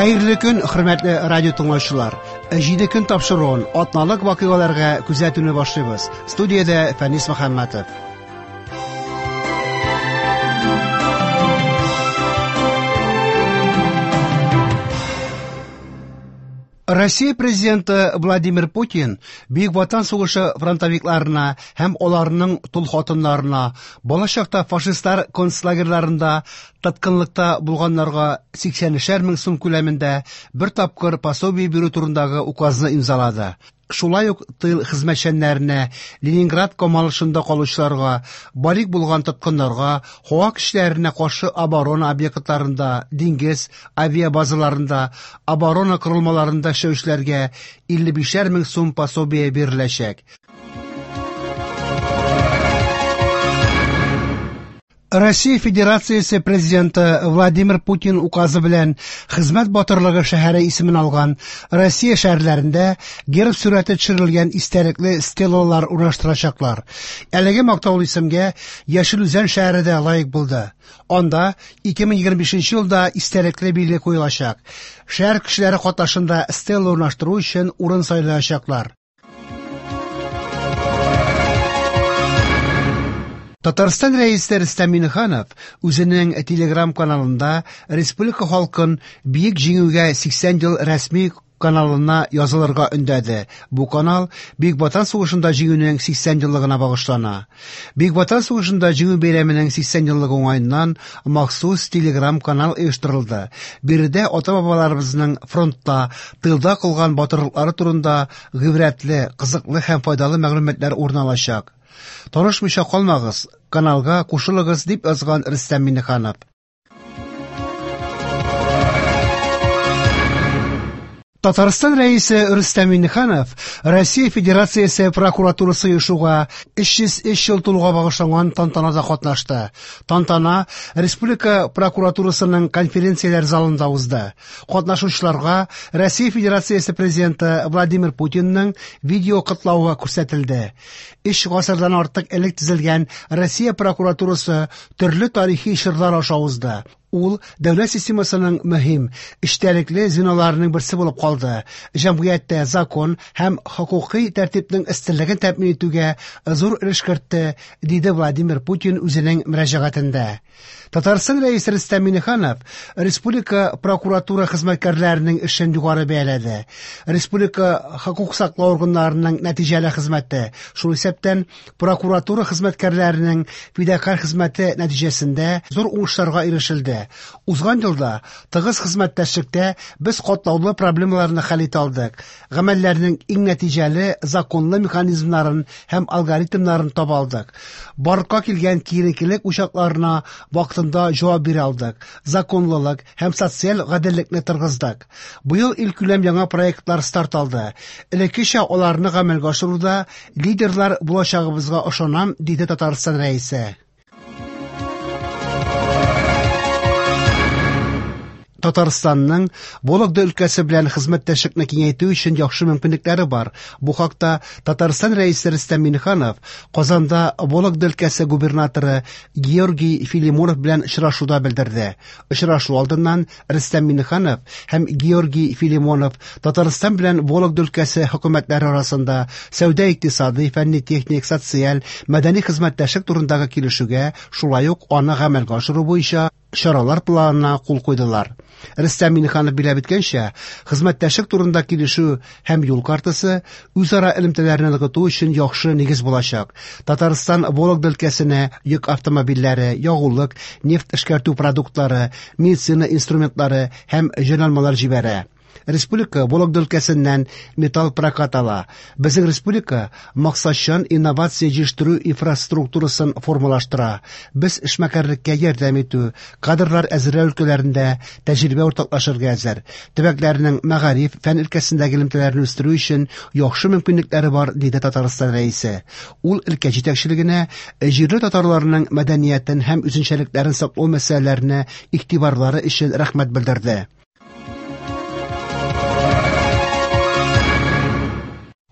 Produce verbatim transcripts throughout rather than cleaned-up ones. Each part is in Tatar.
Хәерле көн, хөрмәтле радио тыңлаучылар. Җиде көн тапшыруын атналык вакыйгаларга күзәтүне башлыйбыз. Студиядә Фәнис Мөхәммәтов. Россия президенты Владимир Путин Бөек Ватан сугышы фронтовикларына һәм аларның тол хатыннарына, балачакта фашистлар концлагерьларында тоткынлыкта булганнарга сиксәнешәр мең сум күләмендә бер тапкыр пособие бирү турындагы указны имзалады. Шулай ук тыл хезмәтчәннәренә, Ленинград камалышында калучыларга, балигъ булган тоткыннарга, һава көчләренә каршы оборона объектларында, диңгез авиабазаларында, оборона корылмаларында эшләүчеләргә илле бишәр мең сум пособие биреләчәк. Россия Федерациясе президенты Владимир Путин указы белән Хезмәт батырлыгы шәһәре исемен алган Россия шәһәрләрендә герб сурәте төшерелгән истәлекле стелалар урнаштырачаклар. Әлеге мактаулы исемгә Яшел Үзән шәһәре дә лаек булды. Анда ике мең егерме бишенче елда истәлекле билге куелачак. Шәһәр кешеләре катнашында стела урнаштыру өчен урын сайлаячаклар. Татарстан рәисе Рөстәм Миңнеханов үзенең Телеграм каналында республика халкын Бөек Җиңүгә сиксән ел рәсми каналына язылырга өндәде. Бу канал Бөек Ватан сугышында җиңүнең сиксән еллыгына багышлана. Бөек Ватан сугышында җиңү бәйрәменең сиксән еллыгы уңаеннан махсус Телеграм канал оештырылды. Биредә ата-бабаларыбызның фронтта, тылда кылган батырлыклары турында гыйбрәтле, кызыклы һәм файдалы мәгълүматлар урын алачак. Танышмыйча калмагыз, каналга кушылыгыз, дип язган Рөстәм Миңнеханов. Татарстан рәисе Рөстәм Миңнеханов Россия Федерациясе прокуратурасы оешуга өч йөз өч ел тулуга багышланган тантанада катнашты. Тантана Республика прокуратурасының конференцияләр залында узды. Катнашучыларга Россия Федерациясе президенты Владимир Путинның видео котлавы күрсәтелде. Өч гасырдан артык элек төзелгән Россия прокуратурасы төрле тарихи чорлар аша узды. Ул дәүләт системасының мөһим, эчтәлекле звеноларының берсе булып калды. Җәмгыятьтә закон һәм хокукый тәртипнең өстенлеген тәэмин итүгә зур өлеш кертте, диде Владимир Путин үзенең мөрәҗәгатендә. Татарстан рәисе Рөстәм Миңнеханов республика прокуратура хезмәткәрләренең эшен югары бәяләде. Республика хокук саклау органнарының нәтиҗәле хезмәте, шул исәптән прокуратура хезмәткәрләренең фидакарь хезмәте нәтиҗәсендә зур уңышларга ирешелде. Узган елда тыгыз хезмәттәшлектә без катлаулы проблемаларны хәл итә алдык. Гамәлләрнең иң нәтиҗәле законлы механизмнарын һәм алгоритмнарын таба алдык. Барлыкка килгән киеренкелек учакларына вакытында җавап бирә алдык. Законлылык һәм социаль гаделлекне торгыздык. Быел илкүләм яңа проектлар старт алды. Элеккечә аларны гамәлгә ашыруда лидерлар булачагыбызга ышанам, диде Татарстан рәисе. Татарстанның Вологда өлкәсе белән хезмәттәшлекне киңәйтү өчен яхшы мөмкинлекләре бар. Бу хакта Татарстан рәисе Рөстәм Миңнеханов Казанда Вологда өлкәсе губернаторы Георгий Филимонов белән очрашуда белдерде. Очрашу алдыннан Рөстәм Миңнеханов һәм Георгий Филимонов Татарстан белән Вологда өлкәсе хөкүмәтләре арасында сәүдә-икътисади, фәнни-техник, социаль, мәдәни хезмәттәшлек турындагы килешүгә, шулай ук аны гамәлгә ашыру буенча чаралар планына кул куйдылар. Рөстәм Миңнеханов билгеләп үткәнчә, хезмәттәшлек турында килешү һәм юл картасы үзара элемтәләрне ныгыту өчен яхшы нигез булачак. Татарстан Вологда өлкәсенә йөк автомобильләре, ягулык, нефть эшкәртү продуктлары, медицина инструментлары һәм җайланмалар җибәрә. Республика Вологда өлкәсеннән металл прокат ала. Безнең республика максатчан инновация җитештерү инфраструктурасын формалаштыра. Без эшмәкәрлеккә ярдәм итү, кадрлар әзерләү өлкәләрендә тәҗрибә уртаклашырга әзер. Төбәкләрнең мәгариф, фән өлкәсендәге элемтәләрне үстерү өчен яхшы мөмкинлекләре бар, диде Татарстан рәисе. Ул өлкә җитәкчелегенә җирле татарларның мәдәниятен һәм үзенчәлекләрен саклау мәсьәләләренә игътибарлары өчен рәхмәт белдерде.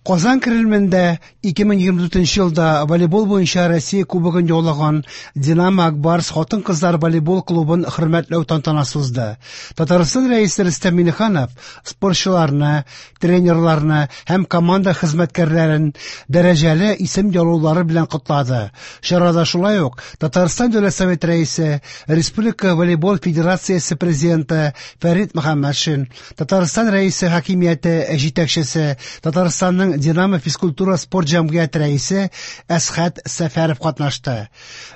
Казан Кремлендә ике мең егерме дүртенче елда волейбол буенча Россия кубогын яулаган Динамо Акбарс хатын-кызлар волейбол клубын хөрмәтләү тантанасы узды. Татарстан Рәисе Рөстәм Миңнеханов спортчыларны, тренерларны һәм команда хезмәткәрләрен дәрәҗәле исем яулаулары белән котлады. Чарада шулай ук Татарстан Дәүләт Советы Рәисе, Республика волейбол федерациясе президенты Фәрит Мөхәммәтшин, Татарстан Рәисе хакимияте җитәкчесе, Татарстанның Динамо физкультура спорт җәмгыяте рәисе Әсхәт Сәфәров катнашты.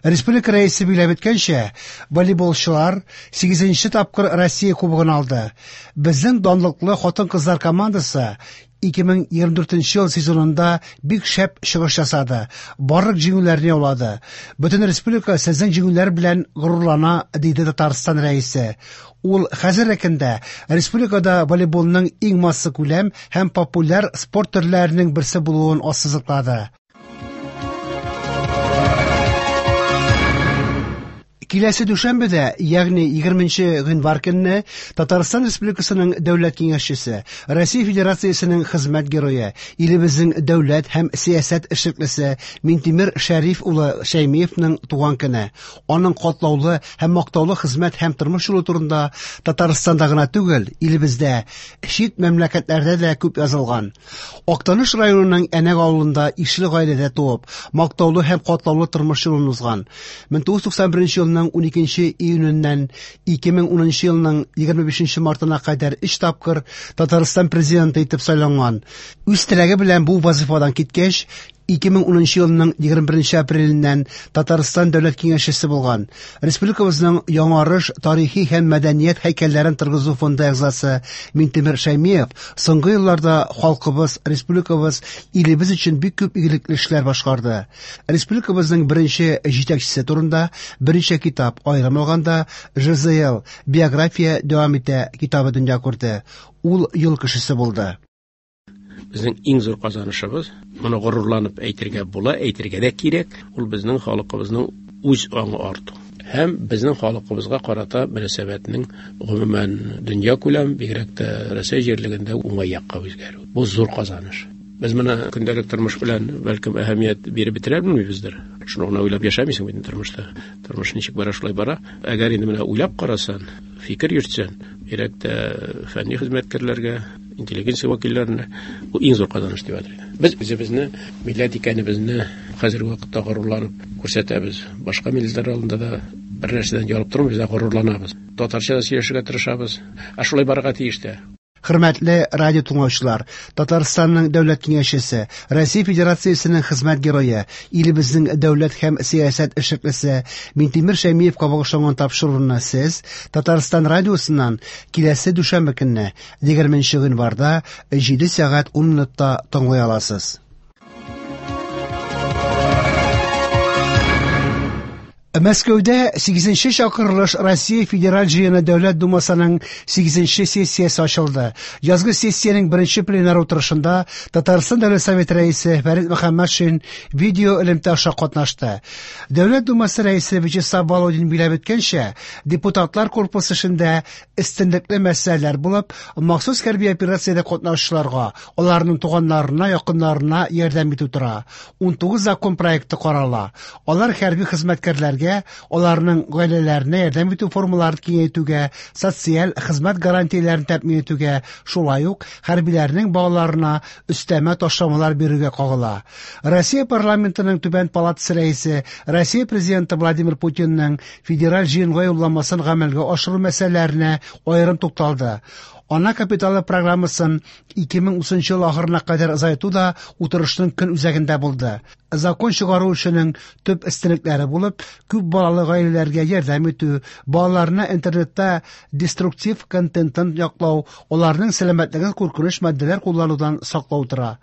Республика рәисе билгеләп үткәнчә, волейболчылар сигезенче тапкыр Россия кубогын алды. Безнең данлыклы хатын-кызлар командасы ике мең егерме дүртенче ел сезонында бик шәп чыгыш ясады. Барлык җиңүләрне яулады. Бөтен республика сезнең җиңүләр белән горурлана, диде Татарстан рәисе. Ул хәзерге көндә республикада волейболның иң массакүләм һәм популяр спорт төрләренең берсе булуын ассызыклады. Киләсе дүшәмбедә, ягъни егерменче гыйнвар көнне, Татарстан Республикасының Дәүләт Киңәшчесе, Россия Федерациясенең хезмәт герое, илебезнең дәүләт һәм сәясәт эшлеклесе Минтимер Шәриф улы Шәймиевның туган көне. Аның катлаулы һәм мактаулы хезмәт һәм тормыш юлы турында Татарстанда гына түгел, илебездә, чит мәмләкәтләрдә дә күп язылган. Актаныш районының Әнәк авылында ишле гаиләдә туып, мактаулы һәм катлаулы тормыш юлын узган. Мең тугыз йөз туксан беренче елның уникенче июненнән ике мең унынчы елның егерме бишенче мартына кадәр өч тапкыр Татарстан президенты итеп сайланган. Үз теләге белән бу вазифадан киткәч, ике мең унынчы елның егерме беренче апреленнән Татарстан Дәүләт Киңәшчесе булган. Республикабызның яңарыш тарихи һәм мәдәният һәйкәлләрен торгызу фонды әгъзасы Минтимер Шәймиев соңгы елларда халкыбыз, республикабыз, илебез өчен бик күп игелекле эшләр башкарды. Республикабызның беренче җитәкчесе турында берничә китап, аерым алганда Ж З Л биография дәвам итә китабы дөнья күрде. Ул юл кешесе булды. Безнең иң зур казанышыбыз, моны горурланып әйтергә була, әйтергә дә кирәк, ул безнең халкыбызның үз аңы арту. Һәм безнең халкыбызга карата мөнәсәбәтнең гомумән дөнья күләм, бигрәк тә Рәсәй җирлегендә уңай якка үзгәрү. Бу зур казаныш. Без моны көндәлек тормыш белән бәлкем әһәмият биреп бетерә белмибездер. Шуны гына уйлап яшәмисең бит тормышта. Тормыш ничек бара, шулай бара. Әгәр инде менә уйлап карасан, фикер йөртсәң, бигрәк тә фәнни хезмәткәрләргә, интеллигенция вәкилләренә бу иң зур казаныш дип атыйм. Без үзебезне, милләт икәнебезне хәзерге вакытта горурланып күрсәтәбез. Башка милләтләр алдында да бер нәрсәдән ярып тормыйбыз, ә горурланабыз. Татарча да сөйләшергә тырышабыз. Ә шулай барырга тиеш тә. Хөрмәтле радио тыңлаучылар, Татарстанның Дәүләт Киңәшчесе, Россия Федерациясенең хезмәт герое, илебезнең дәүләт һәм сәясәт эшлеклесе Минтимер Шәймиевка багышланган тапшыруны сез Татарстан радиосыннан киләсе дүшәмбе көнне егерменче гыйнварда җиде сәгать ун минутта тыңлый аласыз. Мәскәүдә сигезенче чакырылыш Россия Федераль Җыены Дәүләт Думасының сигезенче сессиясе ачылды. Язгы сессиянең беренче пленар утырышында Татарстан Дәүләт Советы рәисе Фәрит Мөхәммәтшин видео элемтә аша катнашты. Дәүләт Думасы рәисе Вячеслав Володин билгеләп үткәнчә, депутатлар корпусы эшендә өстенлекле мәсьәләләр булып, махсус хәрби операциядә катнашучыларга, аларның туганнарына, якыннарына ярдәм итү тора. Унтугыз закон проекты карала. Алар хәрби хезмәткәрләргә, аларның гаиләләренә ярдәм итү формаларын киңәйтүгә, социаль хезмәт гарантияләрен тәэмин итүгә, шулай ук хәрбиләрнең балаларына өстәмә ташламалар бирүгә кагыла. Россия парламентының түбән палатасы рәисе, Россия президенты Владимир Путинның федераль җыенга юлламасын гамәлгә ашыру мәсьәләләренә аерым тукталды. Ана капиталы программасын ике мең утызынчы ел ахырына кадәр озайту да утырышның көн үзәгендә булды. Закон чыгару эшенең төп өстенлекләре булып, күп балалы гаиләләргә ярдәм итү, балаларны интернетта деструктив контенттан яклау, аларның сәламәтлеген куркыныч матдәләр кулланудан саклау тора.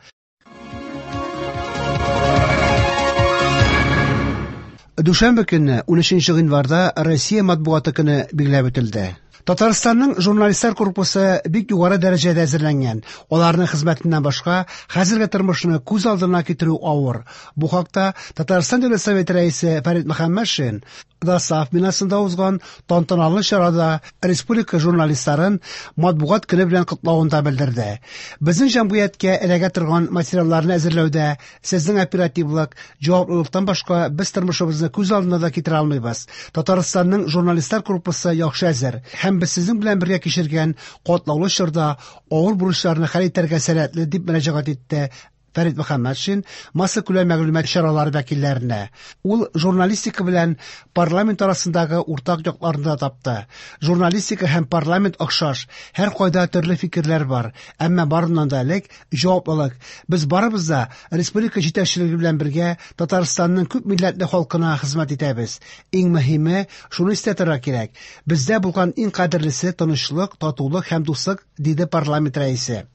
Дүшәмбе көнне, унөченче гыйнварда Россия матбугаты көне билгеләп үтелде. Татарстанның журналистлар корпусы бик югары дәрәҗәдә әзерләнгән. Аларның хезмәтеннән башка хәзерге тормышны күз алдына китерү авыр. Бу хакта Татарстан Дәүләт Советы рәисе Фәрит Мөхәммәтшин ДОСААФ бинасында узган тантаналы чарада республика журналистларын матбугат көне белән котлавында белдерде. Безнең җәмгыятькә эләгә торган материалларны әзерләүдә сезнең оперативлык, җаваплылыктан башка без тормышыбызны күз алдына да китерә алмыйбыз. Татарстанның журналистлар корпусы яхшы әзер һәм без сезнең белән бергә кичергән катлаулы чорда авыр бурычларны хәл итәргә сәләтле, дип мөрәҗәгать итте Фәрит Мөхәммәтшин массакүләм мәгълүмат чаралары вәкилләренә. Ул журналистика белән парламент арасындагы уртак якларны да тапты. Журналистика һәм парламент охшаш, һәр кайда төрле фикерләр бар, әмма барыннан да элек җаваплылык. Без барыбыз да республика җитәкчелеге белән бергә Татарстанның күп милләтле халкына хезмәт итәбез. Иң мөһиме, шуны истә тотарга кирәк: бездә булган иң кадерлесе тынычлык, татулык һәм дуслык, диде парламент рәисе.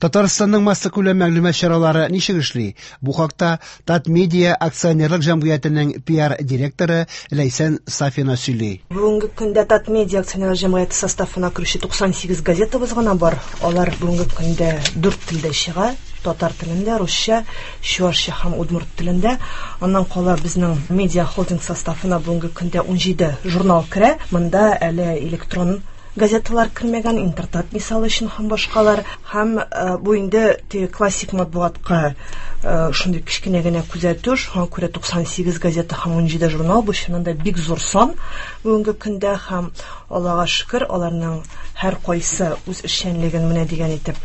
Татарстанның массакүләм мәгълүмат чаралары ничек эшли? Бу хакта Татмедиа акционерлык җәмгыятенең P R директоры Ләйсән Сафина сөйли. Бүгенге көндә Татмедиа акционерлык җәмгыяте составына керүче туксан сигез газетабыз гына бар. Алар бүгенге көндә дүрт телдә чыга: татар телендә, русча, чуашча һәм удмурт телендә. Аннан кала безнең медиа холдинг составына бүгенге көндә ун җиде журнал керә. Монда әле электрон газеталар кермәгән, Интертат мисалы өчен һәм башкалар. Һәм, э, бу инде теге классик матбугатка, э, шундый кечкенә генә күзәтү, шуңа күрә туксан сигез газета һәм ун җиде журнал бу чыннан да бик зур сан бүгенге көндә, һәм Аллага шөкер, аларның һәр кайсы үз эшчәнлеген менә дигән итеп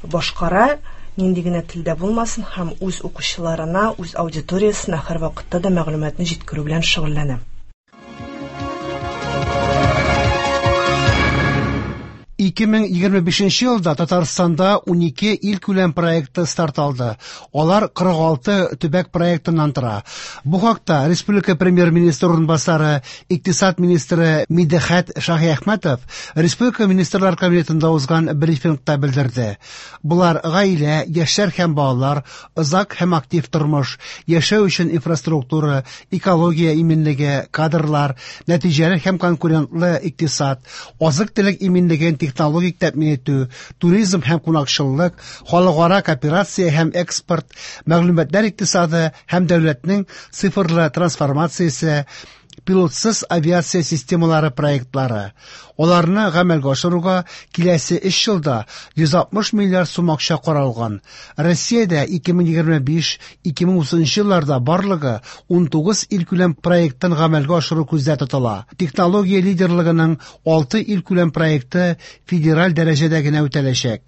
башкара, нинди генә телдә булмасын, һәм үз укучыларына, үз аудиториясенә һәр вакытта да мәгълүматны җиткерү белән шөгыльләнә. Ике мең егерме бишенче елда Татарстанда ун ике илкүләм проекты старт алды. Алар кырык алты төбәк проектыннан тора. Бу хакта республика премьер-министры урынбасары, икътисад министры Мидхәт Шаһиәхмәтов республика министрлар кабинетында узган брифингта белдерде. Булар гаилә, яшьләр һәм балалар, озак һәм актив тормыш, яшәү өчен инфраструктура, экология иминлеге, кадрлар, нәтиҗәле һәм конкурентлы икътисад, азык-төлек иминлеген технологик тәэмин итү, туризм һәм кунакчыллык, халыкара кооперация һәм экспорт, мәгълүматлар икътисады һәм дәүләтнең цифрлы трансформациясе, пилотсыз авиация системалары проектлары. Аларны гамәлгә ашыруга киләсе өч елда йөз алтмыш миллиард сум акча каралган. Россиядә ике мең егерме биш — ике мең утызынчы елларда барлыгы ун тугыз илкүләм проектын гамәлгә ашыру күздә тотыла. Технология лидерлыгының алты илкүләм проекты федераль дәрәҗәдә генә үтәләчәк.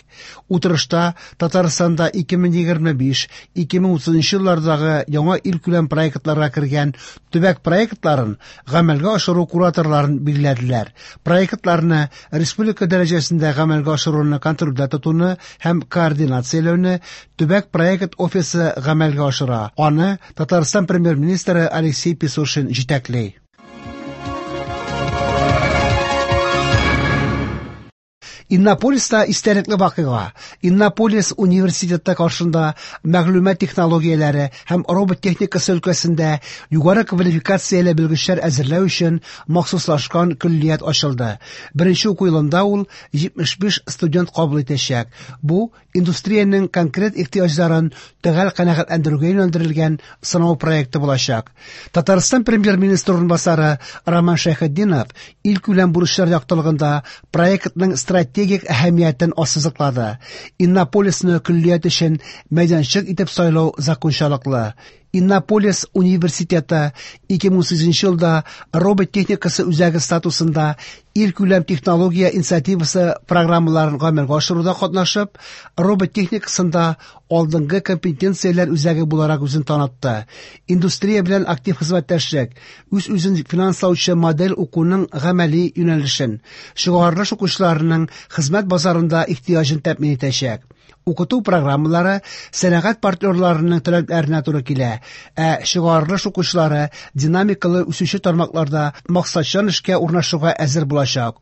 Утырышта Татарстанда ике мең егерме биш — ике мең утызынчы еллардагы яңа илкүләм проектларга кергән төбәк проектларын гамәлгә ашыру кураторларын билгеләделәр. Проектларны республика дәрәҗәсендә гамәлгә ашыруны контрольдә тотуны һәм координацияләүне төбәк проект офисы гамәлгә ашыра. Аны Татарстан премьер-министры Алексей Песошин җитәкли. Иннополиста истәлекле вакыйга. Иннополис университеты каршында мәгълүмат технологияләре һәм робот техникасы өлкәсендә югары квалификацияле белгечләр әзерләү өчен махсуслашкан көллият ачылды. Беренче уку елында ул җитмеш биш студент кабул итәчәк. Бу индустриянең конкрет ихтыяҗларын төгәл канәгатьләндерүгә юнәлдерелгән сынау проекты булачак. Татарстан премьер-министры урынбасары Роман Шәйхетдинов илкүләм бурычлар яктылыгында проектның стратегик әһәмиятен ассызыклады. Иннополисны көллият өчен мәйданчык итеп сайлау закончалыклы. Иннополис университеты ике мең сигезенче елда робот техникасы үзәге статусында илкүләм технология инициативасы программаларын гамәлгә ашыруда катнашып, робот техникасында алдынгы компетенцияләр үзәге буларак үзен танытты. Индустрия белән актив хезмәттәшлек, үз-үзен финанслаучы модель укуның гамәли юнәлешен, чыгарылыш укучыларының хезмәт базарында ихтыяҗын тәэмин итәчәк. Укыту программалары сәнәгать партнерларының таләпләренә туры килә, ә чыгарылыш укучылары динамикалы үсүче тармакларда максатчан эшкә урнашуга әзер булачак.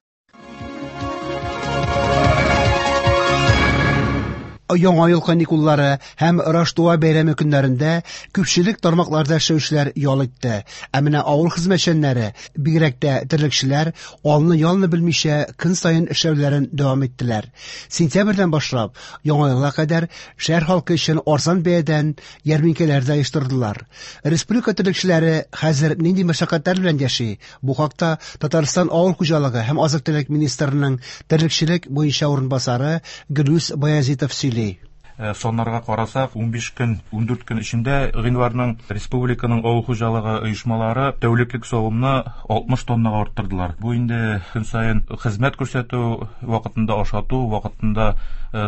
Яңа ел каникуллары һәм Раштуа бәйрәме көннәрендә күпчелек тармакларда эшләүчеләр ял итте. Ә менә авыл хезмәтчәннәре, бигрәк тә терлекчеләр, алны-ялны белмичә көн саен эшләүләрен дәвам иттеләр. Сентябрьдән башлап Яңа елга кадәр шәһәр халкы өчен арзан бәядән ярминкәләр дә оештырдылар. Республика терлекчеләре хәзер нинди мәшәкатьләр белән яши? Бу хакта Татарстан авыл хуҗалыгы һәм азык-төлек министрының терлекчелек буенча урынбасары Гөлүс Баязитов сөйли. Соннарга карасак, унбиш көн, ундүрт көн эчендә гыйнварның республиканың авыл хуҗалыгы оешмалары тәүлеклек савымны алтмыш тоннага арттырдылар. Бу инде көн саен хезмәт күрсәтү, вакытында ашату, вакытында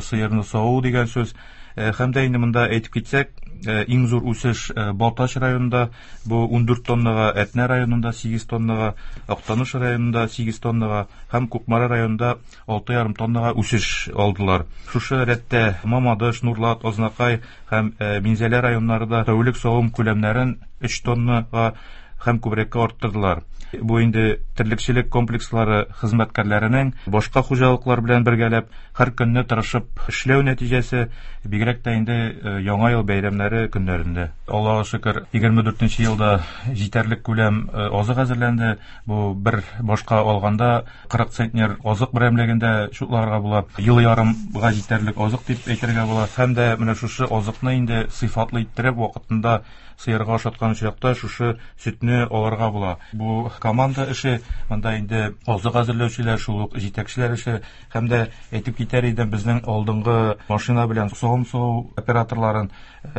сыерны саву дигән сүз. Һәм дә инде монда әйтеп китсәк, иң зур үсеш Балтач районында, бу ундүрт тоннага, Әтнә районында сигез тоннага, Актаныш районында сигез тоннага һәм Кукмара районында алты ярым тоннага үсеш алдылар. Шушы рәттә Мамадыш, Нурлат, Азнакай һәм Минзәлә районнары да тәүлек савым күләмнәрен өч тоннага һәм күбрәккә арттырдылар. Бу инде терлекчелек комплекслары хезмәткәрләренең башка хуҗалыклар белән бергәләп һәр көнне тырышып эшләү нәтиҗәсе, бигрәк тә инде Яңа ел бәйрәмнәре көннәрендә. Аллаһка шөкер, егерме дүртенче елда җитәрлек күләм азык әзерләнде. Бу бер башка алганда кырык центнер азык берәмлегендә шутларга була. Ел ярымга җитәрлек азык дип әйтергә була. Һәм дә менә шушы азыкны инде сыйфатлы иттереп вакытында сыерга ашаткан очракта шушы сөтне алырга була. Бу команда эше, монда инде азык әзерләүчеләр, шул ук җитәкчеләр эше. Һәм дә әйтеп китәр идем, безнең алдынгы машина белән савым саву операторларын,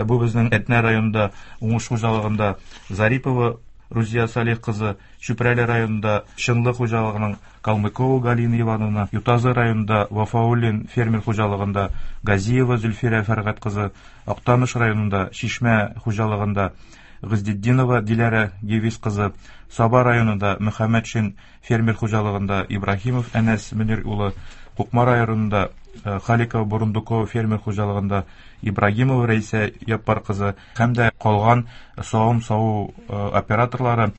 бу безнең Әтнә районында Уңыш хуҗалыгында Зарипова Рузия Салих кызы, Чүпрәле районында Чынлы хуҗалыгының Калмыкова Галина Ивановна, Ютазы районында Вафауллин фермер хуҗалыгында Газиева Зөлфирә Фәргать кызы, Актаныш районында Чишмә хуҗалыгында Гыздетдинова Диләрә Гевис кызы, Саба районында Мөхәммәтшин фермер хуҗалыгында Ибраһимов Әнәс Мөнир улы, Кукмара районында Халикова Бурундукова фермер хуҗалыгында Ибрагимова Рәйсә Яппар кызы һәм дә калган савым саву операторлары.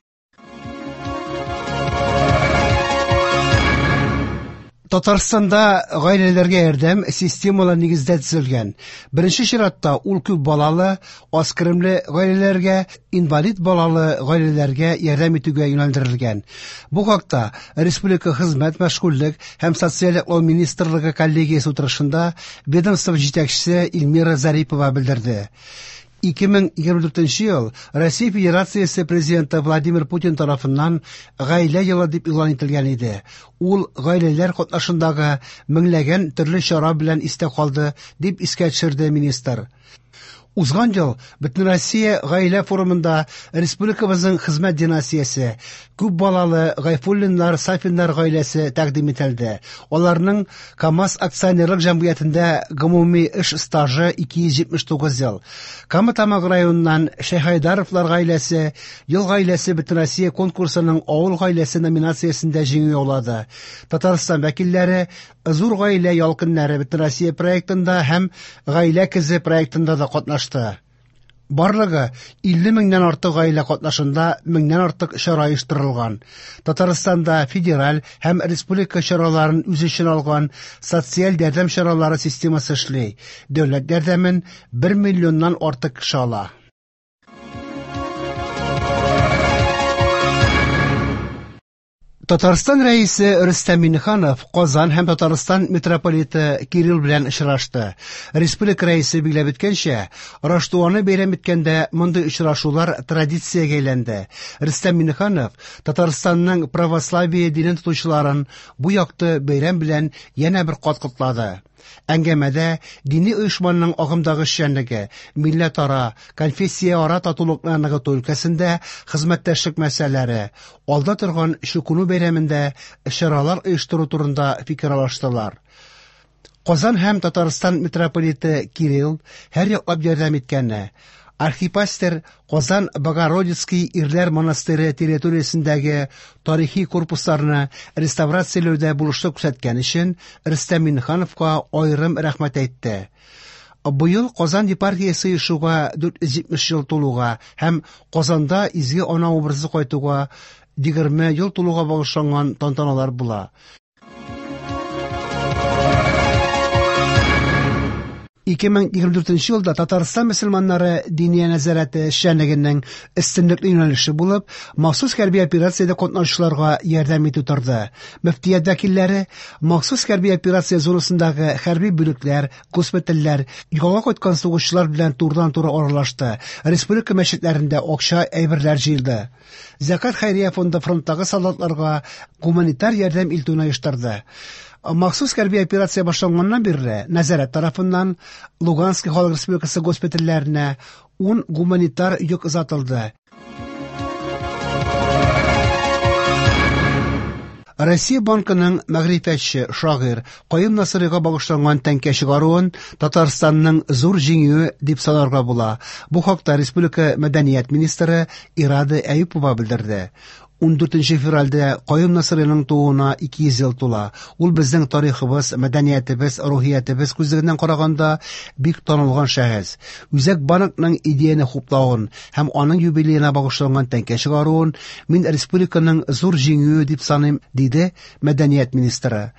Татарстанда гаиләләргә ярдәм системалы нигездә төзелгән. Беренче чиратта ул күп балалы, аз керемле гаиләләргә, инвалид балалы гаиләләргә ярдәм итүгә юнәлдерелгән. Бу хакта Республика хезмәт, мәшгульлек һәм социаль яклау министрлыгы коллегиясе утырышында ведомство җитәкчесе Эльмира Зарипова белдерде. ике мең егерме дүртенче ел Россия Федерациясе президенты Владимир Путин тарафыннан гаилә елы дип игълан ителгән иде. Ул гаиләләр катнашындагы меңләгән төрле чара белән истә калды, дип искә төшерде министр. Узган ел Бөтенроссия гаилә форумында республикабызның хезмәт династиясе, күп балалы Гайфуллиннар, Сафиннар гаиләсе тәкъдим ителде. Аларның КАМАЗ акционерлык җәмгыятендә гомуми эш стажы ике йөз җитмеш тугыз ел. Кама Тамагы районыннан Шәйхайдаровлар гаиләсе Ел гаиләсе Бөтенроссия конкурсының Авыл гаиләсе номинациясендә җиңү яулады. Татарстан вәкилләре Зур гаилә ялкыннары Бөтенроссия проектында һәм Гаилә кезе проектында да катнашты. Барлыгы илле меңнән артык гаилә катнашында меңнән артык чара оештырылган. Татарстанда федераль һәм республика чараларын үз эченә алган социаль ярдәм чаралары системасы эшли. Дәүләт ярдәмен бер миллионнан артык кеше ала. Татарстан рәисе Рөстәм Миңнеханов Казан һәм Татарстан митрополиты Кирилл белән очрашты. Республика рәисе билгеләп үткәнчә, Раштуаны бәйрәм иткәндә мондый очрашулар традициягә әйләнде. Рөстәм Миңнеханов Татарстанның православие динен тотучыларын бу якты бәйрәм белән янә бер кат котлады. Әңгәмәдә дини оешманың агымдагы эшчәнлеге, милләтара, конфессияара татулыкны ныгыту өлкәсендә хезмәттәшлек мәсьәләләре, алда торган Чукыну бәйрәмендә чаралар оештыру турында фикер алыштылар. Казан һәм Татарстан митрополиты Кирилл һәр яклап ярдәм иткәне, архипастер Казан Богородицкий ирләр монастыре территориясендәге тарихи корпусларны реставрацияләүдә булышлык күрсәткән өчен Рөстәм Миңнехановка аерым рәхмәт әйтте. Быел Казан епархиясе оешуга дүрт йөз җитмеш ел тулуга һәм Казанда Изге Ана образы кайтуга егерме ел тулуга багышланган тантаналар була. ике мең егерме дүртенче елда Татарстан мөселманнары Диния нәзарәте эшчәнлегенең өстенлекле юнәлеше булып, махсус хәрби операциядә катнашучыларга ярдәм итү торды. Мөфтият вәкилләре махсус хәрби операция зонасындагы хәрби бүлекләр, госпитальләр, ялга кайткан сугышчылар белән турыдан-туры аралашты. Республика мәчетләрендә акча, әйберләр җыелды. Зәкат хәйрия фонды фронттагы солдатларга гуманитар ярдәм илтүне оештырды. Махсус хәрби операция башланганнан бирле нәзарәт тарафыннан Луганский халык республикасы госпитальләренә ун гуманитар йөк озатылды. Россия банкының мәгърифәтче, шагыйрь Каюм Насыйрига багышланган тәңкә чыгаруын Татарстанның зур җиңүе дип санарга була. Бу хакта республика мәдәният министры Ирада Әюпова белдерде. ун дүртенче февральдә Каюм Насыйриның тууына ике йөз ел тула. Ул безнең тарихыбыз, мәдәниятебез, рухиятебез күзлегеннән караганда бик танылган шәхес. Үзәк банкның идеяне хуплавын һәм аның юбилеена багышланган тәңкә чыгаруын мин республиканың зур җиңүе дип саныйм, диде мәдәният министры.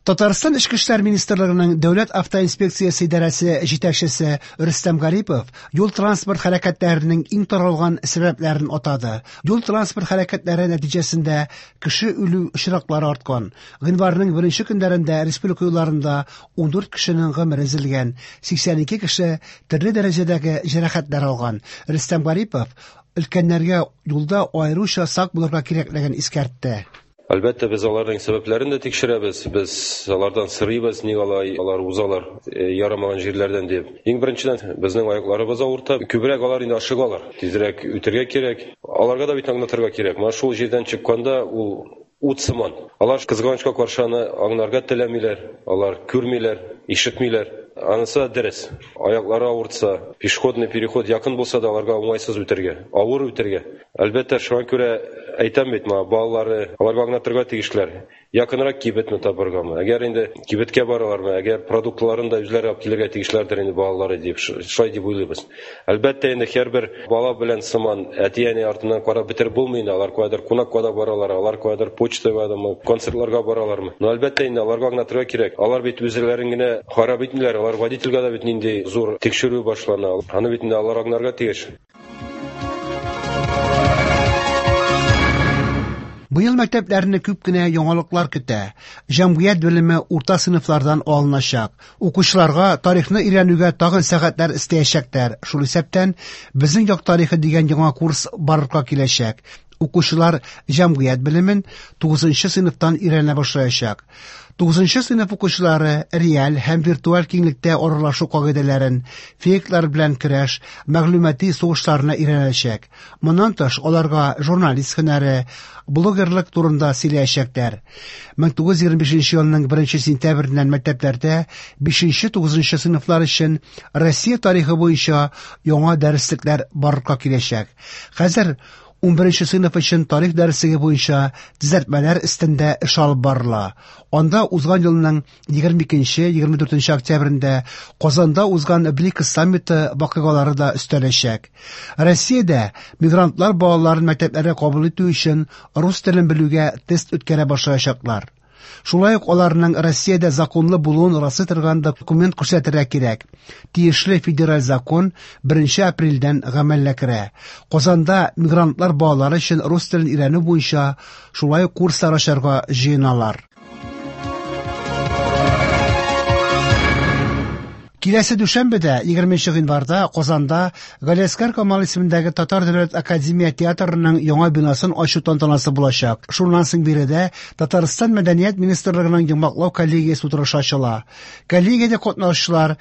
Татарстан Эчке эшләр министрлыгының Дәүләт автоинспекциясе идарәсе җитәкчесе Рөстәм Гарипов юл-транспорт хәрәкәтләренең иң таралган сәбәпләрен атады. Юл-транспорт хәрәкәтләре нәтиҗәсендә кеше үлү очраклары арткан. Гыйнварның беренче көннәрендә республика юлларында ун дүрт кешенең гомере өзелгән, сиксән ике кеше төрле дәрәҗәдәге җәрәхәтләр алган. Рөстәм Гарипов өлкәннәргә юлда аеруча сак булырга кирәклеген искәртте. Әлбәттә, без аларның сәбәпләрен дә тикшерәбез, без алардан сорыйбыз, ник алай алар узалар ярамаган җирләрдән дип. Иң беренчедән, безнең аякларыбыз авырта, күбрәк алар инде ашыгалар, тизрәк үтәргә кирәк. Аларга да бит аңлатырга кирәк. Менә шул җирдән чыкканда ул ут сыман. Алар кызганычка каршы аны аңларга теләмиләр, алар күрмиләр, ишетмиләр. Анысы дөрес. Аяклары авыртса, пешеходный переход якын булса да аларга уңайсыз үтәргә, авыр үтәргә. Әлбәттә, шуңа күрә әйтәм бит, моңа балалары, аларга аңлатырга тиешләр. Якынрак кибетне табыргамы? Әгәр инде кибеткә баралармы, әгәр продуктларын да үзләре алып килергә тиешләрдер инде балалары дип, шулай дип уйлыйбыз. Әлбәттә, инде һәрбер бала белән сыман әти-әни артыннан карап бетереп булмый инде. Алар каядыр кунакка да баралар, алар каядыр почтага, концертларга баралармы? Но әлбәттә инде аларга аңлатырга кирәк. Алар бит үзләрен генә харап итмиләр, алар водительгә дә бит нинди зур тикшерү башлана. Аны бит инде алар аңларга тиеш. Быел мәктәпләрне күп кенә яңалыклар көтә. Җәмгыять белеме урта сыйныфлардан алыначак. Укучыларга тарихны өйрәнүгә тагын сәгатьләр өстәячәкләр. Шул исәптән Безнең як тарихы дигән яңа курс барлыкка киләчәк. Укучылар җәмгыять белемен тугызынчы сыйныфтан өйрәнә башлаячак. Тугызынчы сыйныф укучылары реаль һәм виртуаль киңлектә аралашу кагыйдәләрен, фейклар белән көрәш, мәгълүмати сугышларны өйрәнәчәк. Моннан тыш, аларга журналист һөнәре, блогерлык турында сөйләячәкләр. мең тугыз йөз егерме бишенче елның беренче сентябреннән мәктәпләрдә бишенче тугызынчы сыйныфлар өчен Россия тарихы буенча яңа дәреслекләр барлыкка киләчәк. Хәзер ун беренче сыйныф өчен тарих дәреслеге буенча төзәтмәләр өстендә эш алып барыла. Анда узган елның егерме икенче, егерме дүртенче октябрендә Казанда узган БРИКС саммиты вакыйгалары да өстәләчәк. Россиядә мигрантлар балаларын мәктәпләргә кабул итү өчен рус телен белүгә тест үткәрә башлаячаклар. Шулай ук аларның Россиядә законлы булуын раслый торган документ күрсәтергә кирәк. Тиешле федераль закон беренче апрельдән гамәлгә керә. Казанда мигрантлар балалары өчен рус телен өйрәнү буенча шулай ук курслар ачарга җыеналар. Киләсе дүшәмбедә, егерменче гыйнварда Казанда Галиәсгар Камал исемендәге Татар дәүләт академия театрының яңа бинасын ачу тантанасы булачак. Шуннан соң биредә Татарстан Мәдәният министрлыгының йомгаклау коллегиясе утырышы ачыла. Коллегиядә катнашучылар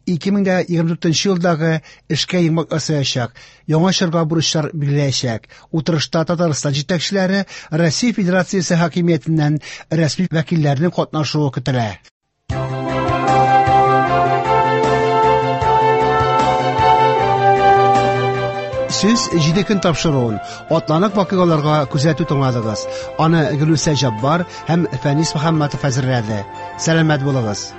ике мең дә егерме дүртенче елдагы эшкә йомгак ясаячак, яңа чорга бурычлар билгеләячәк. Утырышта Татарстан җитәкчеләре Россия Федерациясе хакимиятеннән рәсми вәкилләрнең катнашуы көтелә. Сүз җиде көн тапшыруын атланык вакыйгаларга күзәтү тыңладыгыз. Аны Гөлүсә Җаббар һәм Фәнис Мөхәммәтов әзерләде. Сәламәт булыгыз.